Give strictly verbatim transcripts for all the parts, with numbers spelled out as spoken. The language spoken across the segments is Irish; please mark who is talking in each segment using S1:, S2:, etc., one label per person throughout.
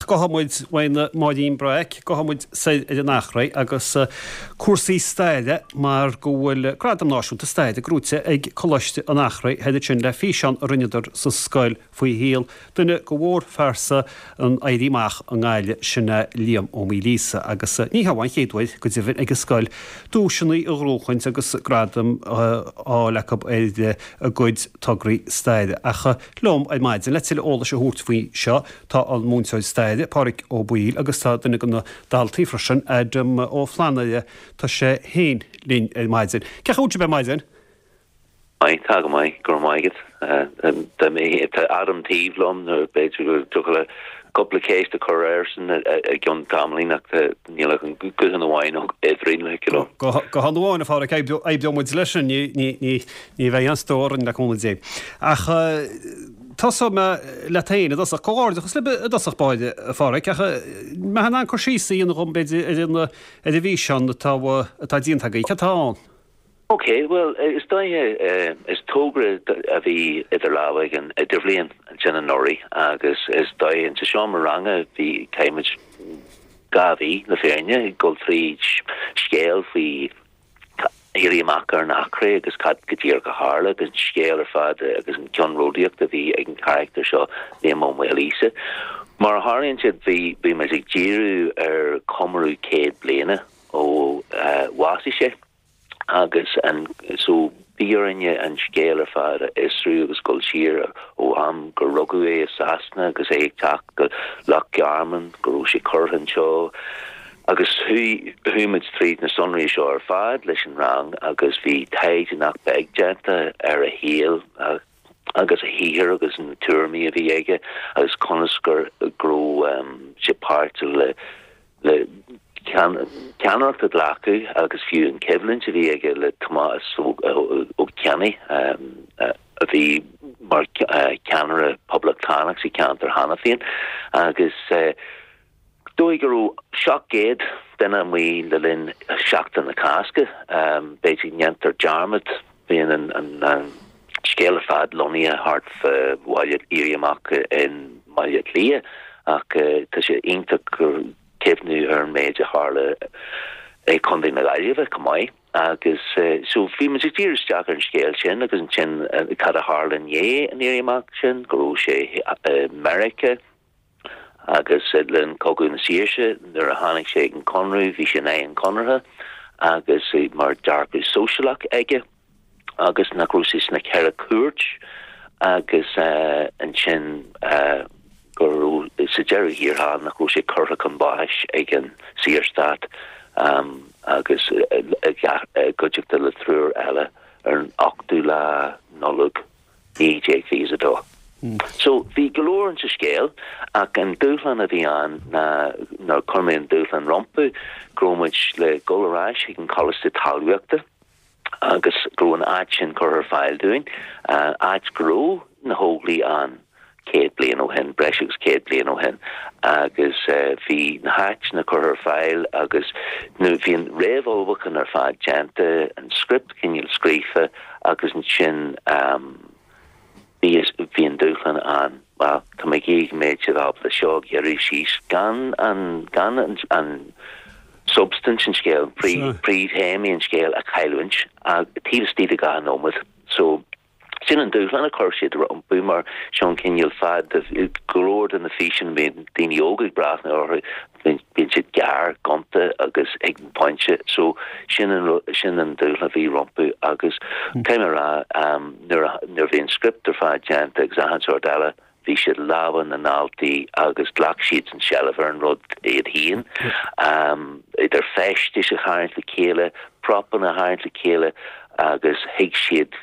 S1: gabhfaidh muid uainn Máirín Breac, gabhfaidh muid soir ar an Eachréidh agus cúrsaí staire mar go bhfuil Gradam Náisiúnta Staire gnóite ag Coláiste an Eachréidh thoir ansin le físeán a rinneadar sa scoil faoi shaol duine de mhórphearsa an Éirí Amach i nGaillimh, sin é Liam Ó Maoilíosa. Agus ní hé an chéad uair go deimhin ag an scoil duaiseanna a ghnóchaint agus gradaim a fháil acu ar a gcuid tograí staire. Ach liom ar maidin le tuilleadh eolais a thabhairt faoi seo tá an múinteoir staire, Pádraig Ó Baoill, agus tá duine de na daltaí freisin, Adam Ó Flannaire, tá sé féin linn ar maidin. Cén chaoi a bhfuil sibh ar maidin?
S2: Maith, tá go maith, go raibh maith agat. Tá Adam taobh liom nó b'fhéidir go dtiocfadh le cúpla ceist a chur airsean i gcionn tamaillín ach níl ach an guthán amháin eadrainn le you know.
S1: Guthán amháin, a Phádraig, oibreoidh muid leis sin, ní bheidh aon stró orainn le cúnamh Dé. Ach tosóidh mé leat féin i dtosach. Comhghairdeachas libh i dtosach báire, a Phádraig, ach mbeifeá in ann cur síos a dhéanamh dhom b'fhéidir ar an ar an bhfíseán atá atá déanta agaibh. Cad atá ann?
S2: Ok, bhuel, is dóiche, is togra a bhí idir lámha ag an idirbhliain ansin anuraidh agus is dóiche sa seomra ranga bhí, chaith muid dhá mhí le fírinne ag dul tríd scéal faoi éirí amach ar an Eachréidh agus cad go díreach a tharla agus an scéal ar fad agus an ceannródaíocht a bhí ag an charachtar seo, Liam Ó Maoilíosa. Mar a tharlaíonn sé bhí, bhí muid ag díriú ar chomóradh céad bliana ó bhásaigh sé. Agus an so bhí orainne an scéal ar fad a fhiosrú agus dul siar ó am gur rugadh é i Sasana agus é ag teacht go Loch Garman, go raibh sé curtha anseo agus chuaigh chuaigh muid tríd na sonraí seo ar fad leis an rang agus bhí taighde nach beag déanta ar a shaol agus a shaothar agus na tuairimí a bhí aige agus conas gur go raibh sé páirteach le le ceannaireacht a ghlacadh agus fiú an choimhlint a bhí aige le Tomás Ó Ceannaigh, a bhí mar cheannaire poblachtánach sa cheantar cheana féin, agus dóigh go raibh seacht gcéad duine amuigh le linn Sheachtain na Cásca. B'fhéidir go ndéantar dearmad, bíonn an scéal ar fad lonnaithe thart fá bhaile Éirí Amach i mBaile Átha Cliath ach tá sé iontach gur cuimhniú ar an méid a tharla i Contae na Gaillimhe chomh maith agus so bhí muid ag díriú isteach ar an scéal sin agus ansin cad a tharla i ndiaidh an Éirí Amach sin, go raibh sé i Meiriceá agus le linn Cogadh na Saoirse nuair a tháinig sé ag an Conradh bhí sé in aghaidh an Chonartha agus mar dearcadh sóisialach aige. agus nach raibh sé sna Ceithre Cúirt agus ansin go raibh, sa deireadh thiar thall, nach raibh sé curtha chun báis ag an Saorstát agus i gcuideachta le triúr eile ar an ochtú lá Nollag naoi déag fiche a dó. So bhí go leor insa scéal ach an dúshlán a bhí ann ná nuair a chuir mé an dúshlán rompu go raibh muid le dhul ar ais chuig an Choláiste Talmhaíochta, agus go raibh an áit sin curtha ar fáil dúinn, áit go raibh na hÓglaigh ann céad bliain ó shin, breis agus céad bliain ó shin, agus bhí na háiteanna curtha ar fáil agus nó bhí an réamhullmhúchán ar fad déanta, an script cineál scríofa agus ansin bhí bhí an dúshlán ann, bhuel, tá mé ag iarraidh go mbeidh siad ábalta seo a ghearradh síos gan an gan an an substaint an scéil, príomhthéamaí an scéil a chailliúint taobh istigh de dhá nóiméad. So, sin an dúshlán a chuir siad rompu mar seo an cineál fad de go leor de na físeáin a mbíonn daoine óga ag breathnú orthu, bíonn siad gearr, gonta agus ag an bpointe. So, sin an sin an dúshlán a bhí rompu agus caithfidh mé a rá nuair a nuair a bhí an script ar fad déanta agus achan sórt eile, Bhí sé i lámha na ndaltaí agus ghlac siadsan seilbh ar an rud iad féin, idir feistis a tharraingt le chéile, propanna a tharraingt le chéile agus thuig siad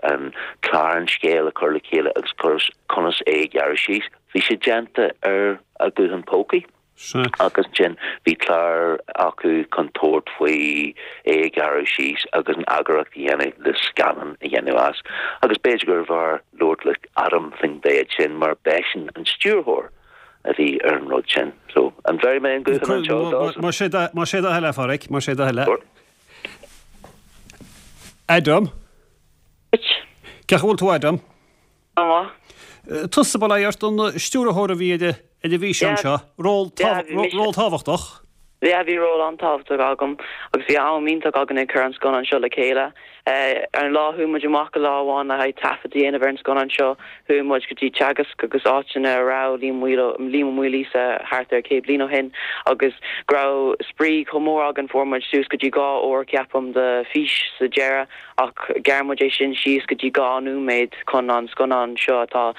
S2: an clár an scéil a chur le chéile agus conas é a ghearradh síos. Bhí sé déanta ar a nguthán pócaí. Agus ansin bhí clár acu chun tabhairt faoi é a ghearradh síos agus an eagarthóireacht a dhéanamh le scannán a dhéanamh as. Agus b'fhéidir gurbh fhearr labhairt le Adam faoin mhéid sin mar b'eisean an stiúrthóir a bhí ar an rud sin. So, an bhfeicfidh mé an guthán anseo, Dawson?
S1: Más é do thoil é, a Phádraig, más é do thoil é. Adam? Cén chaoi a bhfuil tú, Adam?
S3: Go maith.
S1: Tusa, bail ó Dhia ort, an stiúrthóir a bhí ar ar an bhfíseán seo, ról ról tábhachtach.
S3: Yeah, bhí ról an-tábhachtach agam agus bhí am iontach againn ag cur an scannán seo le chéile. Ar an lá chuaigh muid amach go lá amháin le haghaidh taifead a dhéanamh ar an scannán seo, chuaigh muid go dtí Teagasc agus áiteanna a raibh Liam Liam Ó Maoilíosa thart ar céad bliain ó shin agus go raibh spraoi chomh mór againn fuair muid suas go dtí dhá uair ceapaim de fís sa deireadh ach ghearr muid é sin síos go dtí dhá nóiméad chun an scannán seo atá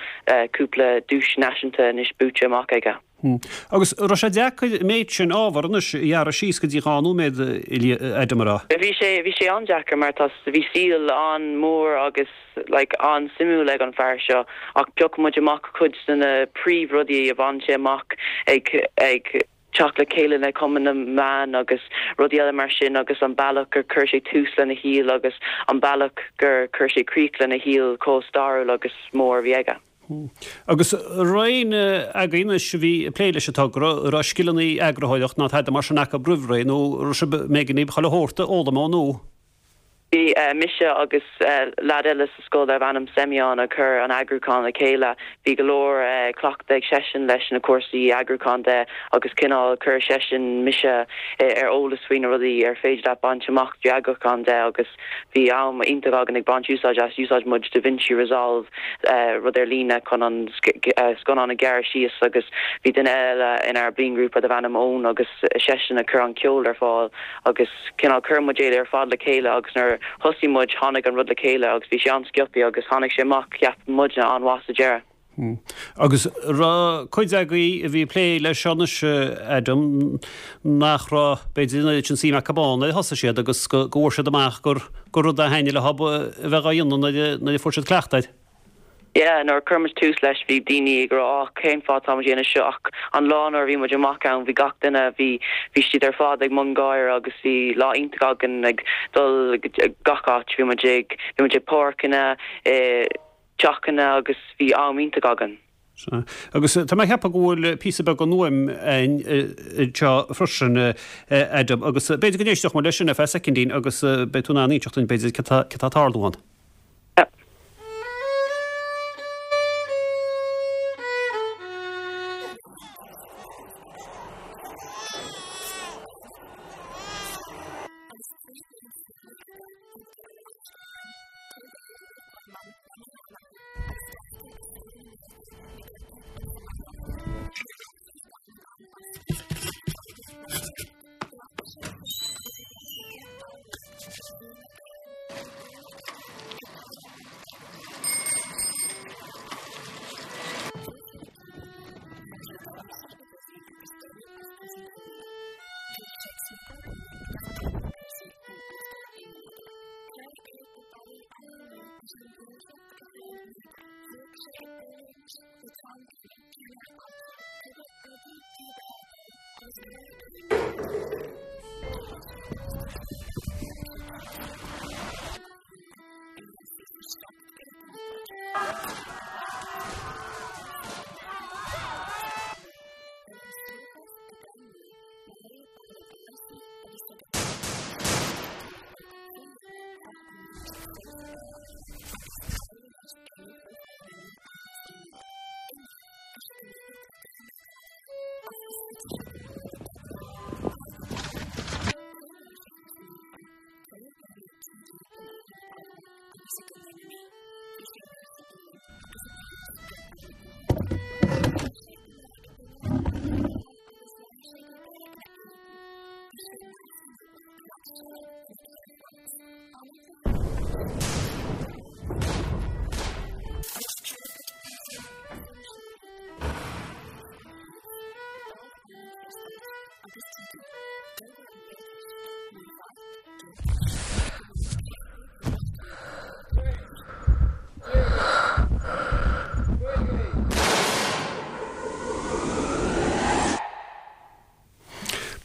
S3: cúpla duais náisiúnta anois buaite amach aige.
S1: Agus raibh sé deacair an méid sin ábhar anois a ghearradh síos go dtí dhá nóiméad, Adam, a rá?
S3: Bhí sé bhí sé an-deacair mar tá bhí saol an-mhór agus like an-suimiúil ag an fear seo ach phioc muid amach cuid de na príomhrudaí a bhain sé amach ag ag teacht le chéile le Cumann na mBan agus rudaí eile mar sin agus an bealach gur chuir sé tús lena shaol agus an bealach gur chuir sé críoch lena shaol chomh stairiúil agus mór a bhí aige.
S1: Agus raibh éinne agaibh anois a bhí ag plé leis an togra, raibh scileanna eagarthóireacht ná tada mar sin acu roimh ré nó raibh sibh b'éigean daoibh chuile shórt a fhoghlaim ó nua?
S3: Bhí mise agus leaid eile sa scoil darbh ainm Semyon a chuir an eagrúchán le chéile. Bhí go leor cleachtadh ag seisean leis na cúrsaí eagrúcháin de agus cineál chuir seisean mise ar eolas faoi na rudaí ar féidir leat baint amach trí eagrúchán de agus bhí am iontach againn ag baint úsáid as. Úsáid muid DaVinci Resolve, rud ar líne chun an scannán a ghearradh síos agus bhí duine eile inár bliainghrúpa darbh ainm Eoin agus seisean a chuir an ceol ar fáil agus cineál chuir muid é ar fad le chéile agus nuair thosaigh muid tháinig an rud le chéile agus bhí sé an-sciobtha agus tháinig sé amach cheap muidne an-mhaith sa deireadh.
S1: Agus raibh cuid agaibh a bhí ag plé leis seo anois, Adam, nach raibh, b'fhéidir, an oiread sin suim acu ann nuair a thosaigh siad agus go bhfuair siad amach gur rud a thaitnigh leo a bheith á dhéanamh nuair a fuair siad cleachtadh air.
S3: Yeah, nuair a chuir muid tús leis bhí daoine ag rá ah cén fáth tá muid ag déanamh seo ach an lá nuair a bhí muid amach ann bhí gach duine, bhí, bhí siad ar fad ag mbun gáire agus bhí lá iontach againn ag dul gach áit, bhí muid ag, bhí muid ag páirceanna, i dteachanna agus bhí am iontach againn.
S1: Sea. Agus tá mé ag ceapadh go bhfuil píosa beag den fhuaim againn anseo freisin, Adam, agus b'fhéidir go n-éistfeadh muid leis sin ar feadh soicindín agus beidh tú in ann inseacht dúinn b'fhéidir cad tá ag tarlú ann.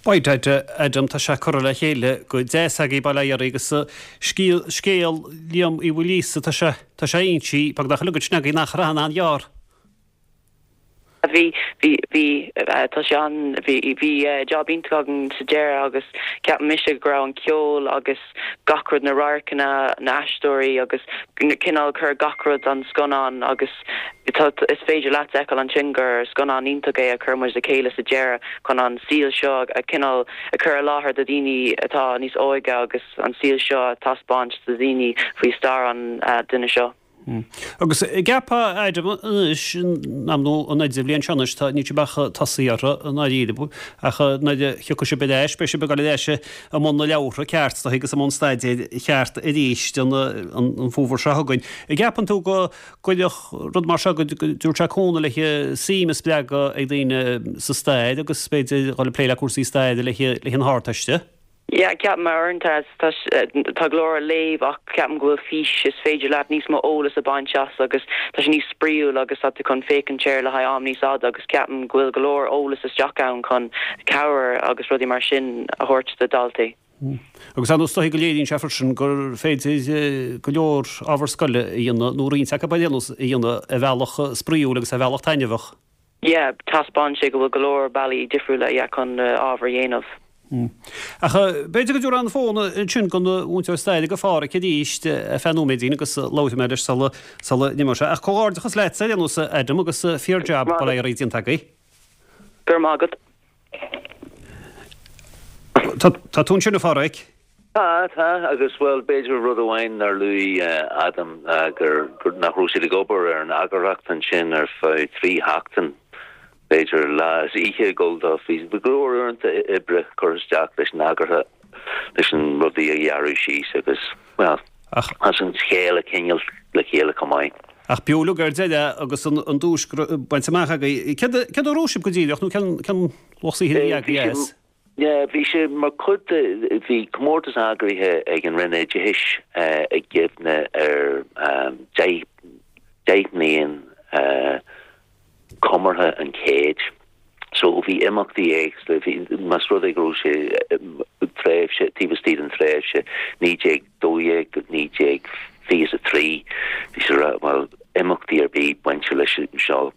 S1: By dad, Adam, tá sé curtha le chéile go deas agaibh, bail ó Dhia oraibh agus scéal, scéal Liam Uí Mhaoilíosa, tá sé, tá sé inste beagnach uilig ansin agaibh nach raibh an-ghearr.
S3: Bhí bhí bhí tá sé an bhí bhí job iontach againn sa deireadh agus ceapaim mise go raibh an ceol agus gach rud na radharcanna na haisteoirí agus cineál cur gach rud an scannán agus tá is féidir leat feiceáil ansin gur scannán iontach é a chuir muid le chéile sa deireadh chun an saol seo a cineál a chur i láthair do daoine atá níos óige agus an saol seo a taispeáint do daoine faoi stair an uh, duine seo.
S1: Hmm. Agus ceapaim anois nó an idirbhliain seo anois tá ní bheadh tosaí orthu an áiríre ach nuair a thiocfaidh sibh ar ais beidh sibh ag dul ar ais i mbun na leabhartha ceart tá agus i mbun staidéir cheart arís an an fómhar seo chugainn. Ceapann tú go gcuirfeadh rud mar seo go dtabharfadh sé cúnamh le suim a spreagadh ag daoine sa stair agus b'fhéidir dhul ag plé le cúrsaí staire le le an Ardteiste.
S3: Yeah, ceapaim mar tá tá go leor léamh ach ceapaim go bhfuil fís is féidir leat níos mó eolas a bhaint as agus tá sé níos spraíúil agus tá tú chun féachaint air le haghaidh am níos fhada agus ceapaim go bhfuil go leor eolas isteach ann chun cabhair agus rudaí mar sin a thabhairt do daltaí.
S1: Hmm. Agus an dóigh go léiríonn sé freisin gur féidir eh, go leor ábhar scoile a dhéanamh nó roinnt acu a dhéanamh ar bhealach spraíúil agus ar bhealach taitneamhach.
S3: Yeah, taispeánann sé go bhfuil go leor bealaí difriúla yeah, chun uh, ábhar a dhéanamh.
S1: Hmm. Ach b'fhéidir go dtabharfaidh an fón ansin don mhúinteoir staire go Phádraic arís ar feadh nóiméidín agus labhróidh mé leis sula sula n-imeoidh sé. Ach comhghairdeachas leat ar aon nós Adam agus fíor-jab bail ó Dhia oraibh déanta agaibh.
S3: Gur maith agat.
S1: Tá tú ansin a Phádraic?
S2: Tá tá agus well b'fhéidir rud amháin nár luaigh Adam gur gur nach raibh siad ag obair ar an eagarthóireacht ansin ar feadh trí sheachtain b'fhéidir lá is oíche ag dul dó bhí go leor uaireanta oibre curtha isteach leis an eagarthóireacht leis an rudaí a ghearradh síos agus well
S1: Ach
S2: as an scéal a choinneáil le chéile chomh maith.
S1: Ach b'fhiú ar deireadh agus an an duais bainte amach agaibh. Céard a raibh sibh go díreach nó cén cén lucht saothair a bhí agaibh?
S2: Yeah, bhí sé mar chuid de bhí comórtas eagraithe ag an Roinn Oideachais ag cuimhne ar um, deich deich mbliain uh, comórtha an chéid. So bhí imeachtaí éagsúla bhí más rud é go raibh sé tréimhse taobh istigh den tréimhse naoi déag dó dhéag go naoi déag fiche a trí bhí sé rá well imeachtaí ar bith bainte leis seo.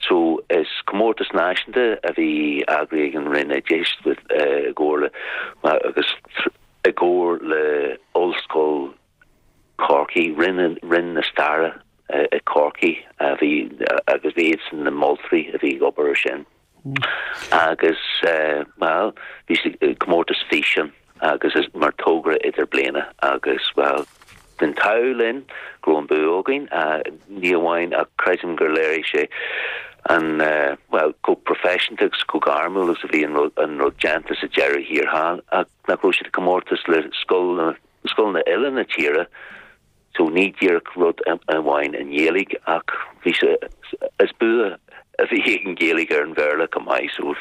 S2: So is comórtas náisiúnta a bhí eagraithe ag an Roinn Oideachais i gcomhar le agus i gcomhar le Ollscoil Corcaigh Roinn Roinn na Staire i Corcaigh a bhí agus bhí iadsan na moltóirí a bhí ag obair sin. Agus well bhí comórtas físean agus is mar togra idirbhliana agus well den t-ádh linn go raibh an bua againn ní amháin ach creidim gur léirigh sé an uh, well chomh professional agus chomh gairmiúil agus a bhí an rud an rud déanta sa deireadh thiar thall ach nach raibh siad comórtas le scoil scoileanna eile na tíre so ní díreach rud amháin i nGaeilge ach bhí sé is bua a bhí an Ghaeilge ar an Bhéarla chomh maith so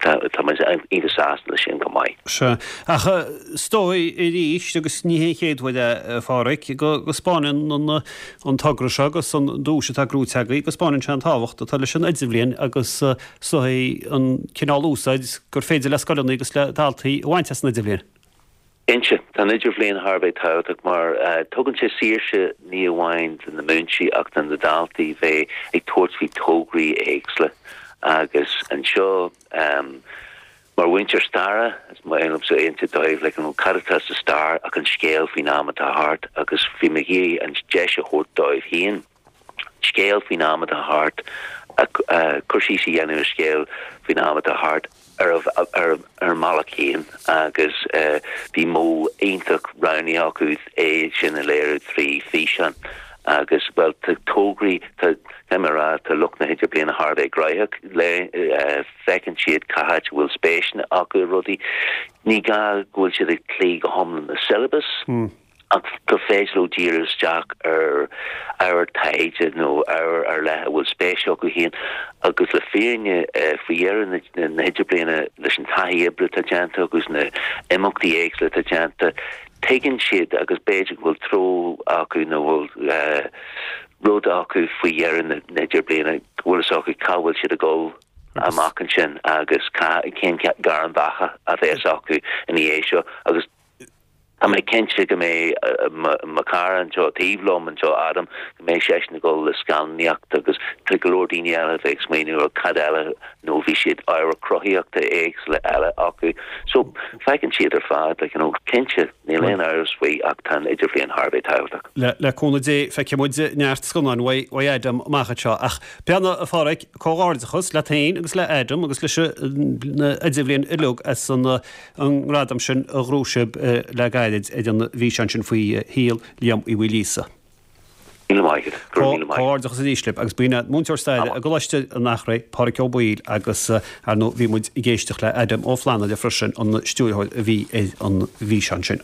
S2: tá iontach sásta leis sin chomh maith.
S1: Se ach is dóigh arís agus ní hé an chéad uair a Pháraic go go spáineann an an togra seo agus an duais atá gnóthaithe agaibh go spáineann sé an tábhacht atá leis an idirbhliain agus is dóigh an cineál úsáid gur féidir le scoileanna agus le daltaí a bhaint as an idirbhliain.
S2: Cinnte tá an idirbhliain thar a bheith tábhachtach mar uh, tugann sé saoirse ní amháin do na múinteoirí ach do na daltaí bheith ag tabhairt faoi tograí éagsúla agus anseo um, mar mhúinteoir staire is maith liomsa aonta dóibh le an cad atá sa stair ach an scéal faoin am atá thart agus bhí mé ag an deis a thabhairt dóibh féin scéal faoin am atá thart cur síos a dhéanamh ar scéal faoin am atá thart ar ar ar mbealach féin agus uh, bhí modh iontach roghnaithe acu é sin a léiriú trí físeán agus well tá tograí tá rá tá lucht na hidirbhliana thar a bheith gnóthach le uh, feiceann siad cá háit bhfuil spéis acu rudaí ní gá go bhfuil siad ag cloí go hiomlán na syllabus.
S1: Mm.
S2: ach go féidir leo díriú isteach ar ar taighde nó ar ar leith a bhfuil spéis acu féin agus le fírinne uh, faoi dheireadh na, na hidirbhliana leis an taithí oibre atá déanta agus na imeachtaí éagsúla atá déanta tuigeann siad agus b'fhéidir go bhfuil treo acu nó bhfuil uh, rud acu faoi dheireadh na, na hidirbhliana go bhfuil fhios acu cá bhfuil siad ag dul amach ansin agus cén gairm bheatha a bheas acu ina dhiaidh seo agus Tá mé cinnte go mbeidh mo chara anseo taobh liom anseo Adam go mbeidh seisean ag dul le scannánaíocht agus tá go leor daoine eile bheith ag smaoineamh ar cad eile nó bhí siad ábhar cruthaíochta éagsúla eile acu. So feiceann siad ar fad like, you know, cinnte níl aon amhras faoi ach tá an idirbhliain thar a bheith tábhachtach.
S1: Le, le cúnamh Dé feicfidh muid neart scannán uaidh Adam amach anseo ach beanna a Pháraic comhghairdeachas leat féin agus le Adam agus leis an idirbhliain uilig as an an ngradam sin a ghnóthaigh sibh le gairid ar an bhfíseán sin faoi shaol Liam Uí Mhaoilíosa. Comhghairdeachas arís libh agus b'in múinteoir staire i gColáiste an Eachréidh Páraic Ó Baoill agus ar ndóigh bhí muid ag éisteacht le Adam Ó Flannúile freisin an stiúrthóir a bhí ar an bhfíseán sin.